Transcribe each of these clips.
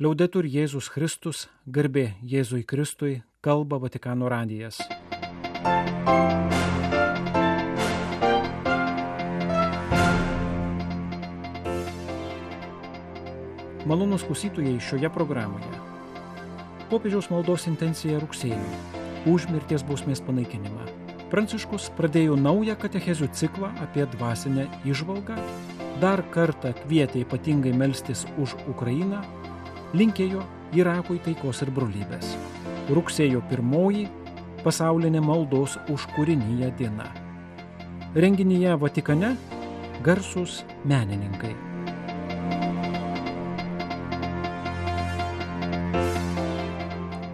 Liaudetur Jėzus Kristus, garbė Jėzui Kristui, kalba Vatikano radijas. Malonūs klausytojai šioje programoje. Popiežiaus maldos intencija rugsėjui – už mirties bausmės panaikinimą. Pranciškus pradėjo naują katechezių ciklą apie dvasinę įžvalgą, dar kartą kvietė ypatingai melstis už Ukrainą, linkėjo Irakui taikos ir brolybės. Rugsėjo 1 – pasaulinė maldos už kūriniją diena. Renginyje Vatikane garsūs menininkai.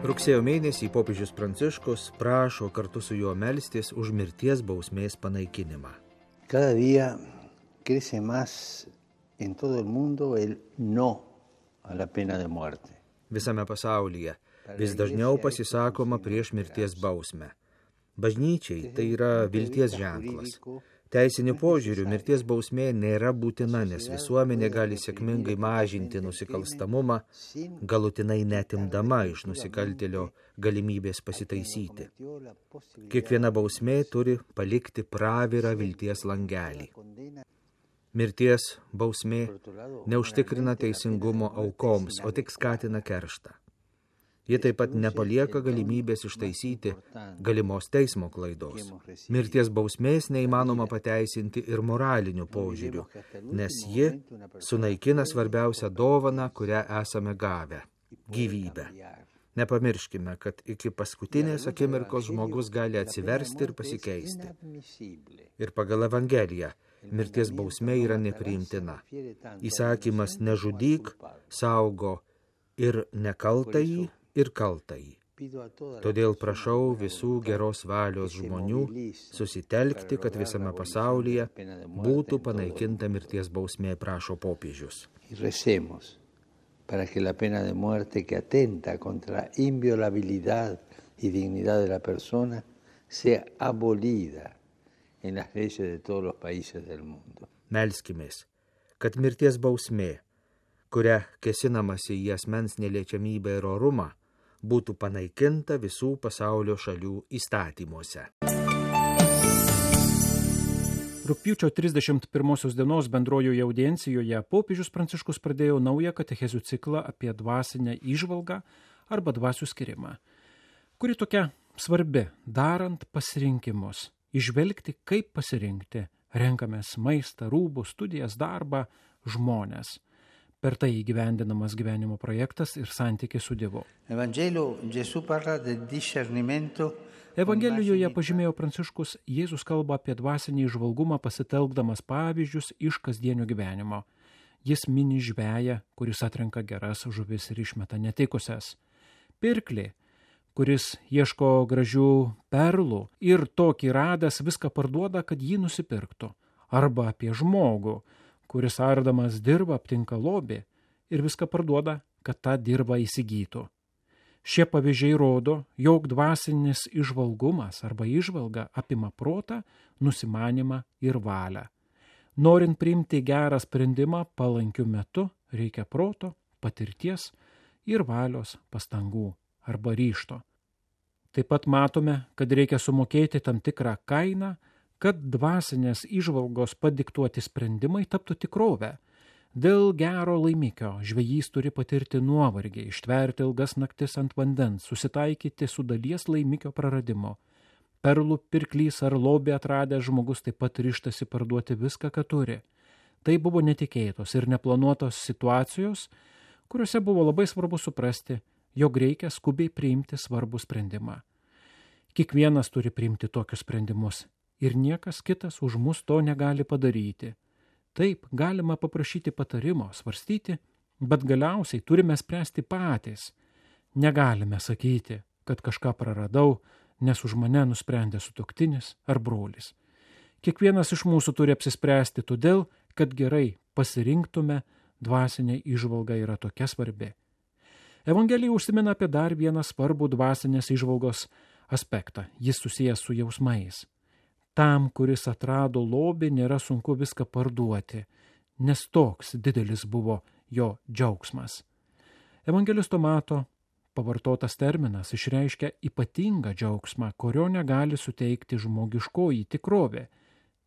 Rugsėjo mėnesį popiežius Pranciškus prašo kartu su juo melstis už mirties bausmės panaikinimą. Cada día crece más en todo el mundo el no a la pena de muerte. Visame pasaulyje vis dažniau pasisakoma prieš mirties bausmę. Bažnyčiai tai yra vilties ženklas. Teisiniu požiūriu mirties bausmė nėra būtina, nes visuomenė gali sėkmingai mažinti nusikalstamumą, galutinai netimdama iš nusikaltėlio galimybės pasitaisyti. Kiekviena bausmė turi palikti pravirą vilties langelį. Mirties bausmė neužtikrina teisingumo aukoms, o tik skatina kerštą. Ji taip pat nepalieka galimybės ištaisyti galimos teismo klaidos. Mirties bausmės neįmanoma pateisinti ir moraliniu požiūriu, nes ji sunaikina svarbiausią dovaną, kurią esame gavę – gyvybę. Nepamirškime, kad iki paskutinės akimirkos žmogus gali atsiversti ir pasikeisti. Ir pagal Evangeliją mirties bausmė yra nepriimtina. Įsakymas nežudyk saugo ir nekaltąjį, ir kaltąjį. Todėl prašau visų geros valios žmonių susitelkti, kad visame pasaulyje būtų panaikinta mirties bausmė, prašo popiežius. Para que la pena de muerte que atenta contra la inviolabilidad y dignidad de la persona sea abolida en las leyes de todos los países del mundo. Melskimės, kad mirties bausmė, kuria kėsinamasi į asmens neliečiamybę ir orumą, būtų panaikinta visų pasaulio šalių įstatymuose. Rugpjūčio 31 dienos bendrojoje audiencijoje popiežius Pranciškus pradėjo naują katechezių ciklą apie dvasinę įžvalgą arba dvasių skirimą, kuri tokia svarbi, darant pasirinkimus, išvelgti, kaip pasirinkti, renkamės maistą, rūbus, studijas, darbą, žmones. Per tai įgyvendinamas gyvenimo projektas ir santykis su Dievu. Evangelijoje pažymėjo Pranciškus, Jėzus kalba apie dvasinį įžvalgumą pasitelkdamas pavyzdžius iš kasdienio gyvenimo. Jis mini žveją, kuris atrenka geras žuvis ir išmeta netikusias. Pirklį, kuris ieško gražių perlų ir tokį radęs viską parduoda, kad jį nusipirktų. Arba apie žmogų, kuris ardamas dirvą aptinka lobį ir viską parduoda, kad tą dirvą įsigytų. Šie pavyzdžiai rodo, jog dvasinis įžvalgumas arba įžvalga apima protą, nusimanimą ir valią. Norint priimti gerą sprendimą palankiu metu, reikia proto, patirties ir valios pastangų arba ryžto. Taip pat matome, kad reikia sumokėti tam tikrą kainą, kad dvasinės įžvalgos padiktuoti sprendimai taptų tikrovę. Dėl gero laimikio žvejys turi patirti nuovargį, ištverti ilgas naktis ant vandens, susitaikyti su dalies laimikio praradimu. Perlų pirklys ar lobį atradęs žmogus taip pat ryžtasi parduoti viską, ką turi. Tai buvo netikėtos ir neplanuotos situacijos, kuriuose buvo labai svarbu suprasti, jog reikia skubiai priimti svarbų sprendimą. Kiekvienas turi priimti tokius sprendimus. Ir niekas kitas už mus to negali padaryti. Taip, galima paprašyti patarimo, svarstyti, bet galiausiai turime spręsti patys. Negalime sakyti, kad kažką praradau, nes už mane nusprendė sutuoktinis ar brolis. Kiekvienas iš mūsų turi apsispręsti todėl, kad gerai pasirinktume, dvasinė įžvalga yra tokia svarbi. Evangelija užsimena apie dar vieną svarbų dvasinės įžvalgos aspektą. Jis susijęs su jausmais. Tam, kuris atrado lobį, nėra sunku viską parduoti, nes toks didelis buvo jo džiaugsmas. Evangelisto Mato pavartotas terminas išreiškia ypatingą džiaugsmą, kurio negali suteikti žmogiškoji tikrovė,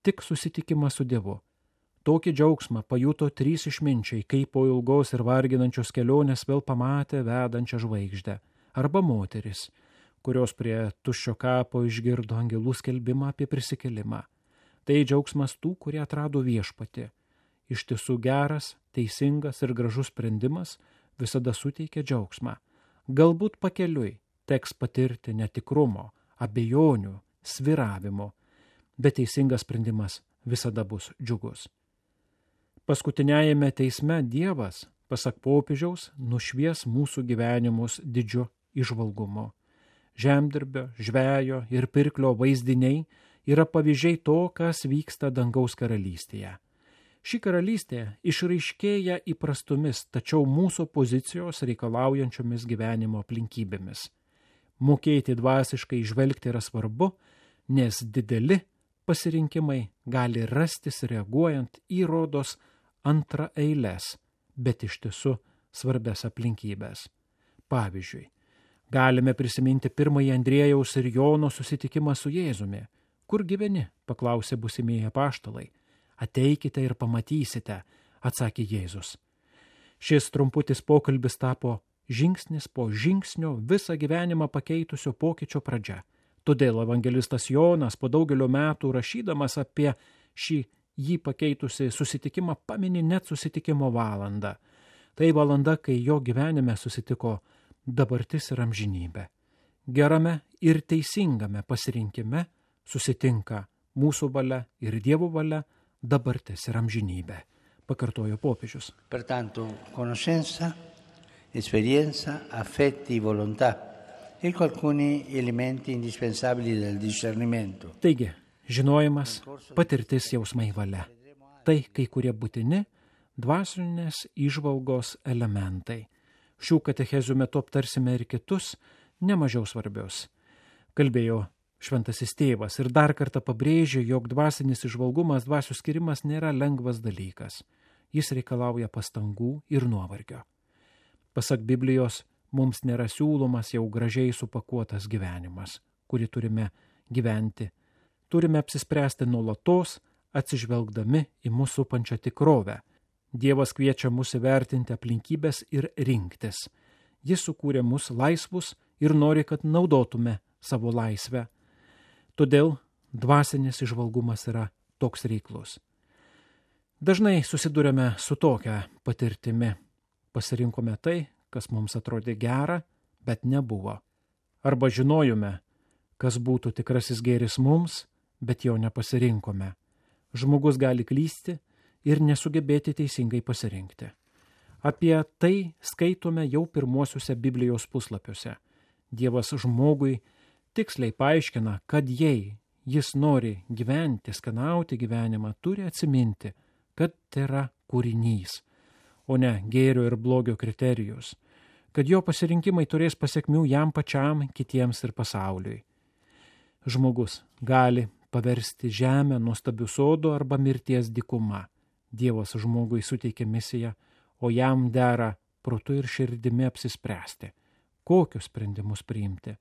tik susitikimas su Dievu. Tokį džiaugsmą pajuto 3 išminčiai, kai po ilgos ir varginančios kelionės vėl pamatė vedančią žvaigždę, arba moteris, kurios prie tuščio kapo išgirdo angelų skelbimą apie prisikėlimą. Tai džiaugsmas tų, kurie atrado viešpatį. Iš tiesų geras, teisingas ir gražus sprendimas visada suteikia džiaugsmą. Galbūt pakeliui teks patirti netikrumo, abejonių, svyravimo, bet teisingas sprendimas visada bus džiugus. Paskutiniajame teisme Dievas, pasak popiežiaus, nušvies mūsų gyvenimus didžiu įžvalgumu. Žemdirbio, žvejo ir pirklio vaizdiniai yra pavyzdžiai to, kas vyksta dangaus karalystėje. Ši karalystė išraiškėja įprastomis, tačiau mūsų pozicijos reikalaujančiomis gyvenimo aplinkybėmis. Mokėti dvasiškai žvelgti yra svarbu, nes dideli pasirinkimai gali rastis reaguojant į rodos antraeiles, bet iš tiesų svarbias aplinkybės. Pavyzdžiui, galime prisiminti pirmąjį Andriejaus ir Jono susitikimą su Jėzumi. Kur gyveni? Paklausė būsimieji apaštalai. Ateikite ir pamatysite, atsakė Jėzus. Šis trumputis pokalbis tapo žingsnis po žingsnio visą gyvenimą pakeitusio pokyčio pradžia. Todėl evangelistas Jonas po daugelio metų rašydamas apie šį jį pakeitusi susitikimą pamini net susitikimo valandą. Tai valanda, kai jo gyvenime susitiko dabartis ir amžinybė. Gerame ir teisingame pasirinkime susitinka mūsų valia ir Dievo valia, dabartis ir amžinybė, pakartojo popiežius. Pertanto, conoscenza, esperienza, affetti, volontà, ecco alcuni elementi indispensabili del discernimento. Taigi, žinojimas, patirtis, jausmai, valia. Tai kai kurie būtini dvasinės įžvalgos elementai. Šių katechezių metu aptarsime ir kitus, nemažiau svarbius. Kalbėjo Šventasis tėvas ir dar kartą pabrėžė, jog dvasinis įžvalgumas, dvasių skirimas nėra lengvas dalykas. Jis reikalauja pastangų ir nuovargio. Pasak Biblijos, mums nėra siūlomas jau gražiai supakuotas gyvenimas, kurį turime gyventi. Turime apsispręsti nuolatos, atsižvelgdami į mūsų supančią tikrovę. Dievas kviečia mus įvertinti aplinkybės ir rinktis. Jis sukūrė mus laisvus ir nori, kad naudotume savo laisvę. Todėl dvasinis įžvalgumas yra toks reiklus. Dažnai susidurėme su tokia patirtimi. Pasirinkome tai, kas mums atrodė gera, bet nebuvo. Arba žinojome, kas būtų tikrasis gėris mums, bet jo nepasirinkome. Žmogus gali klysti ir nesugebėti teisingai pasirinkti. Apie tai skaitome jau pirmuosiuose Biblijos puslapiuose. Dievas žmogui tiksliai paaiškina, kad jei jis nori gyventi, skanauti gyvenimą, turi atsiminti, kad tai yra kūrinys, o ne gėrio ir blogio kriterijus, kad jo pasirinkimai turės pasekmių jam pačiam, kitiems ir pasauliui. Žmogus gali paversti žemę nuostabiu sodu arba mirties dykuma. Dievas žmogui suteikia misiją, o jam dera protu ir širdimi apsispręsti, kokius sprendimus priimti.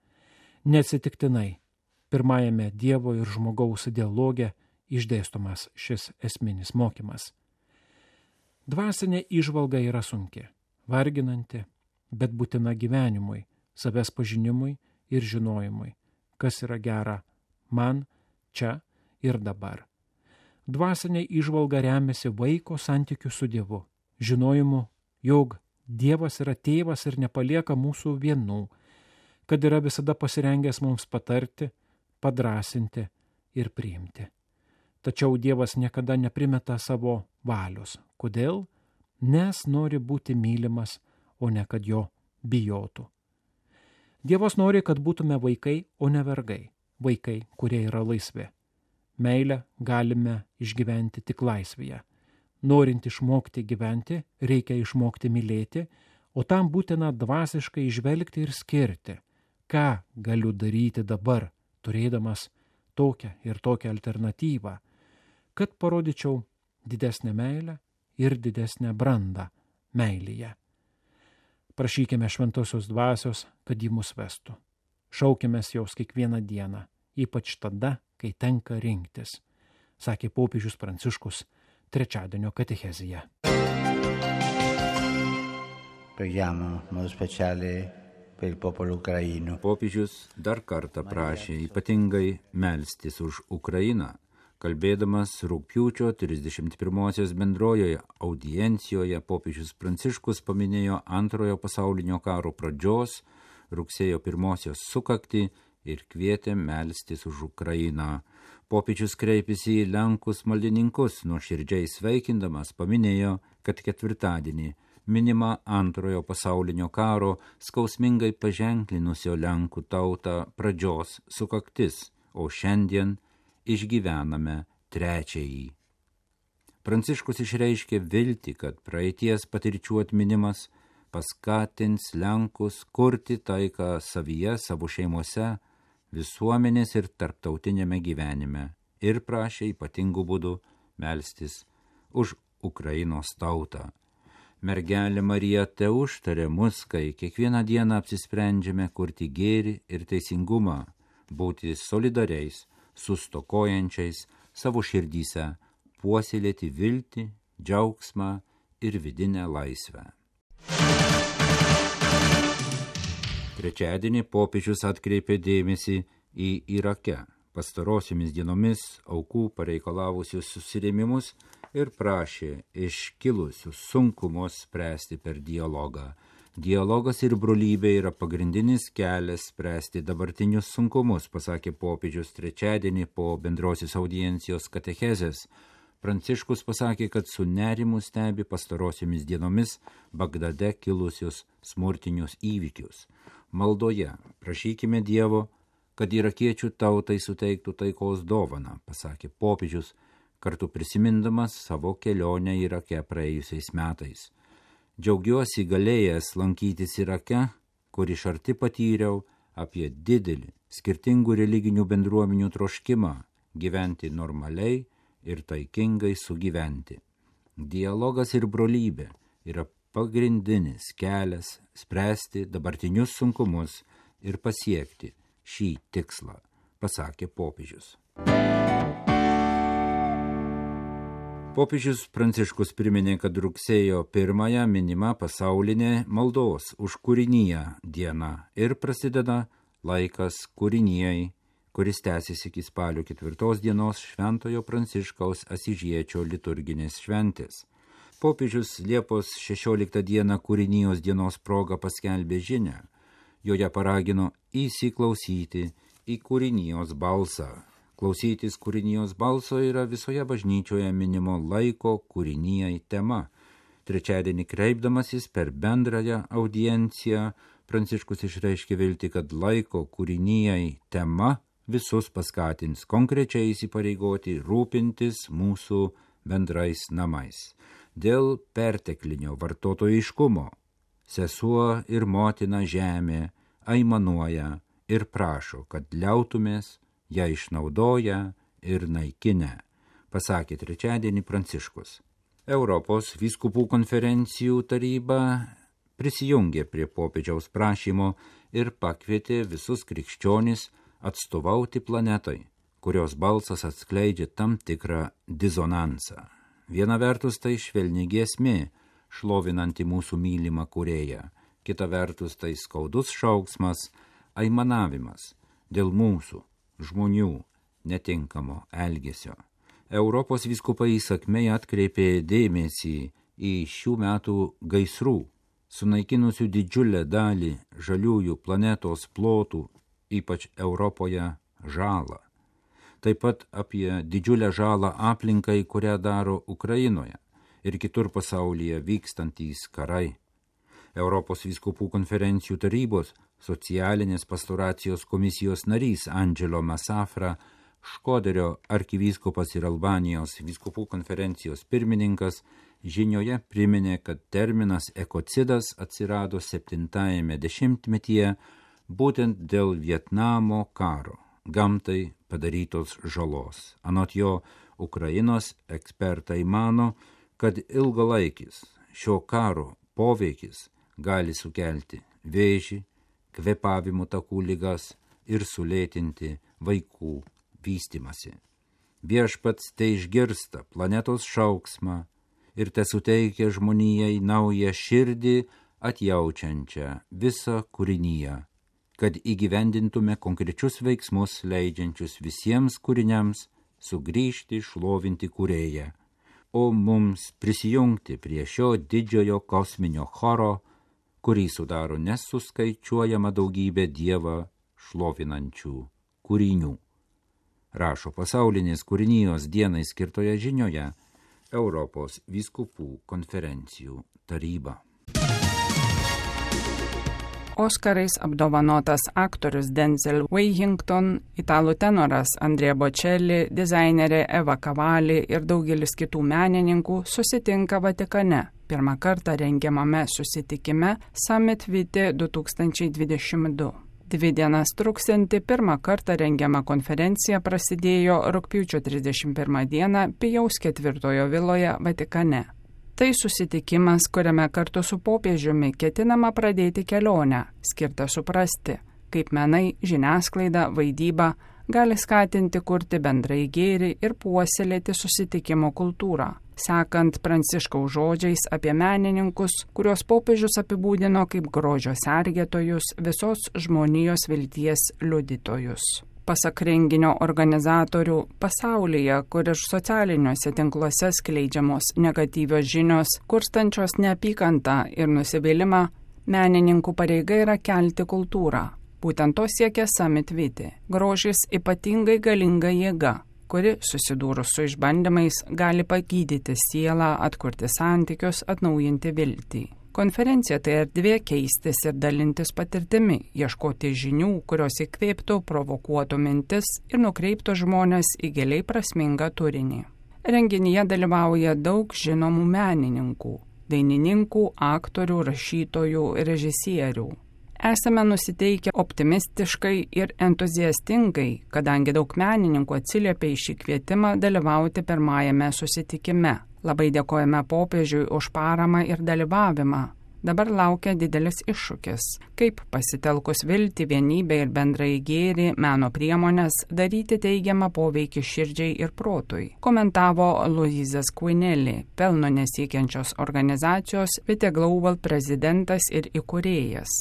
Neatsitiktinai, pirmajame Dievo ir žmogaus dialoge išdėstomas šis esminis mokymas. Dvasinė įžvalga yra sunki, varginanti, bet būtina gyvenimui, savęs pažinimui ir žinojimui, kas yra gera man, čia ir dabar. Dvasinė įžvalga remiasi vaiko santykiu su Dievu, žinojimu, jog Dievas yra tėvas ir nepalieka mūsų vienų, kad yra visada pasirengęs mums patarti, padrąsinti ir priimti. Tačiau Dievas niekada neprimeta savo valios. Kodėl? Nes nori būti mylimas, o ne kad jo bijotų. Dievas nori, kad būtume vaikai, o ne vergai. Vaikai, kurie yra laisvi. Meilę galime išgyventi tik laisvėje. Norint išmokti gyventi, reikia išmokti mylėti, o tam būtina dvasiškai žvelgti ir skirti, ką galiu daryti dabar, turėdamas tokią ir tokią alternatyvą, kad parodyčiau didesnę meilę ir didesnę brandą meilėje. Prašykime šventosios dvasios, kad ji mus vestų. Šaukimės jos kiekvieną dieną, ypač tada, kai tenka rinktis, sakė popiežius Pranciškus trečiadienio katechezėje. Preghiamo in modo speciale per il popolo ucraino. Popiežius dar kartą prašė ypatingai melstis už Ukrainą, kalbėdamas rugpjūčio 31-osios bendrojoje audiencijoje. Popiežius Pranciškus paminėjo Antrojo pasaulinio karo pradžios, rugsėjo 1-osios sukaktį ir kvietė melstis už Ukrainą. Popiežius kreipėsi į Lenkus maldininkus, nuoširdžiai sveikindamas paminėjo, kad ketvirtadienį minima Antrojo pasaulinio karo skausmingai paženklinusio Lenkų tautą pradžios sukaktis, o šiandien išgyvename trečiąjį. Pranciškus išreiškė viltį, kad praeities patirčių atminimas paskatins Lenkus kurti taiką savyje, savo šeimose, visuomenės ir tarptautinėme gyvenime, ir prašė ypatingų būdų melstis už Ukrainos tautą. Mergelė Marija teužtarė mus, kai kiekvieną dieną apsisprendžiame kurti gėrį ir teisingumą, būti solidariais su stokojančiais, savo širdyse puoselėti viltį, džiaugsmą ir vidinę laisvę. Trečiadienį popiežius atkreipė dėmesį į Irake pastarosiomis dienomis aukų pareikalavusius susirėmimus ir prašė iškilusius sunkumus spręsti per dialogą. Dialogas ir brolybė yra pagrindinis kelias spręsti dabartinius sunkumus, pasakė popiežius trečiadienį po bendrosios audiencijos katechezės. Pranciškus pasakė, kad su nerimu stebi pastarosiomis dienomis Bagdade kilusius smurtinius įvykius. Maldoje prašykime Dievo, kad irakiečių tautai suteiktų taikos dovaną, pasakė popiežius, kartu prisimindamas savo kelionę Irake praėjusiais metais. Džiaugiuosi galėjęs lankytis Irake, kur iš arti patyriau apie didelį skirtingų religinių bendruomenių troškimą gyventi normaliai ir taikingai sugyventi. Dialogas ir brolybė yra pagrindinis kelias spręsti dabartinius sunkumus ir pasiekti šį tikslą, pasakė popiežius. Popiežius Pranciškus priminė, kad rugsėjo 1 minima pasaulinė maldos už kūriniją diena ir prasideda laikas kūrinijai, kuris tęsiasi iki spalio 4 dienos Šventojo Pranciškaus Asyžiečio liturginės šventės. Popiežius Liepos 16 dieną kūrinijos dienos proga paskelbė žinią. Joje paragino įsiklausyti į kūrinijos balsą. Klausytis kūrinijos balso yra visoje bažnyčioje minimo laiko kūrinijai tema. Trečiadienį kreipdamasis per bendrąją audienciją, Pranciškus išreiškė viltį, kad laiko kūrinijai tema visus paskatins konkrečiai įsipareigoti rūpintis mūsų bendrais namais. Dėl perteklinio vartotojiškumo sesuo ir motina žemė aimanuoja ir prašo, kad liautumės ją išnaudoja ir naikinę, pasakė trečiadienį Pranciškus. Europos vyskupų konferencijų taryba prisijungė prie popiežiaus prašymo ir pakvietė visus krikščionis atstovauti planetai, kurios balsas atskleidžia tam tikrą disonansą. Viena vertus tai švelni giesmė, šlovinanti mūsų mylimą kūrėją, kita vertus tai skaudus šauksmas, aimanavimas dėl mūsų žmonių netinkamo elgesio. Europos vyskupai įsakmiai atkreipė dėmesį į šių metų gaisrų, sunaikinusių didžiulę dalį žaliųjų planetos plotų, ypač Europoje, žalą. Taip pat apie didžiulę žalą aplinkai, kurią daro Ukrainoje ir kitur pasaulyje vykstantys karai. Europos vyskupų konferencijų tarybos socialinės pastoracijos komisijos narys Angelo Masafra, Škoderio arkivyskupas ir Albanijos vyskupų konferencijos pirmininkas žinioje priminė, kad terminas ekocidas atsirado 7-ame dešimtmetyje būtent dėl Vietnamo karo, gamtai padarytos žalos. Anot jo, Ukrainos ekspertai mano, kad ilgalaikis šio karo poveikis gali sukelti vėžį, kvėpavimo takų ligas ir sulėtinti vaikų vystimasi. Viešpats te išgirsta planetos šauksmą ir te suteikia žmonijai naują širdį atjaučiančią visą kūrinyje, kad įgyvendintume konkrečius veiksmus leidžiančius visiems kūriniams sugrįžti šlovinti kūrėją, o mums prisijungti prie šio didžiojo kosminio choro, kurį sudaro nesuskaičiuojama daugybė Dievą šlovinančių kūrinių. Rašo pasaulinės kūrinijos dienai skirtoje žinioje Europos vyskupų konferencijų taryba. Oskarais apdovanotas aktorius Denzel Washington, italų tenoras Andrea Bocelli, dizainerė Eva Cavalli ir daugelis kitų menininkų susitinka Vatikane. Pirmą kartą rengiamame susitikime Summit Vitae 2022. 2 dienas truksianti pirmą kartą rengiama konferencija prasidėjo rugpjūčio 31 dieną Pijaus IV viloje Vatikane. Tai susitikimas, kuriame kartu su popiežiumi ketinama pradėti kelionę, skirtą suprasti, kaip menai, žiniasklaida, vaidyba gali skatinti kurti bendrai gėrį ir puoselėti susitikimo kultūrą, sekant Pranciškaus žodžiais apie menininkus, kuriuos popiežius apibūdino kaip grožio sergėtojus, visos žmonijos vilties liudytojus. Pasak renginio organizatorių, pasaulyje, kur ir socialiniuose tinkluose skleidžiamos negatyvios žinios, kurstančios neapykantą ir nusivylimą, menininkų pareiga yra kelti kultūrą. Būtent to siekia Summit Vitae. Grožis ypatingai galinga jėga, kuri, susidūrus su išbandymais, gali pagydyti sielą, atkurti santykius, atnaujinti viltį. Konferencija tai erdvė keistis ir dalintis patirtimi, ieškoti žinių, kurios įkvėptų, provokuotų mintis ir nukreiptų žmonės į giliai prasmingą turinį. Renginyje dalyvauja daug žinomų menininkų, dainininkų, aktorių, rašytojų, režisierių. Esame nusiteikę optimistiškai ir entuziastingai, kadangi daug menininkų atsiliepė į šį kvietimą dalyvauti pirmajame susitikime. Labai dėkojame popiežiui už paramą ir dalyvavimą. Dabar laukia didelis iššūkis, kaip pasitelkus viltį, vienybę ir bendrai gėrį, meno priemonės, daryti teigiamą poveikį širdžiai ir protui, komentavo Luizas Quinelli, pelno nesiekiančios organizacijos Vitae Global prezidentas ir įkūrėjas.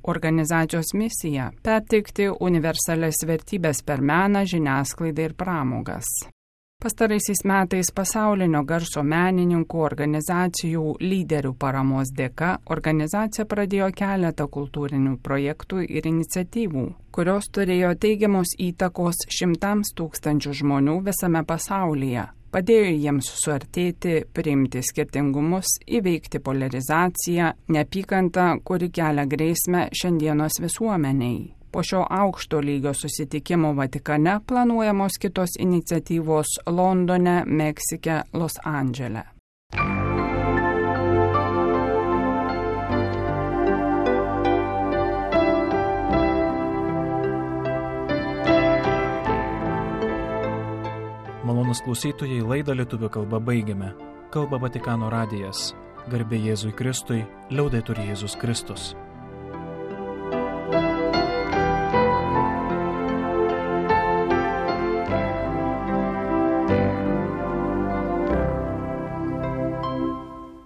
Organizacijos misija – perteikti universalias vertybės per meną, žiniasklaidą ir pramogas. Pastaraisiais metais pasaulinio garso menininkų organizacijų lyderių paramos dėka organizacija pradėjo keletą kultūrinių projektų ir iniciatyvų, kurios turėjo teigiamos įtakos 100 tūkstančių žmonių visame pasaulyje. Padėjo jiems suartėti, priimti skirtingumus, įveikti polarizaciją, neapykantą, kuri kelia grėsmę šiandienos visuomeniai. Po šio aukšto lygio susitikimo Vatikane planuojamos kitos iniciatyvos Londone, Meksike, Los Andžele. Malonūs klausytojai, laidą lietuvių kalba baigiame. Kalba Vatikano radijas. Garbė Jėzui Kristui, liaudetur Jėzus Kristus.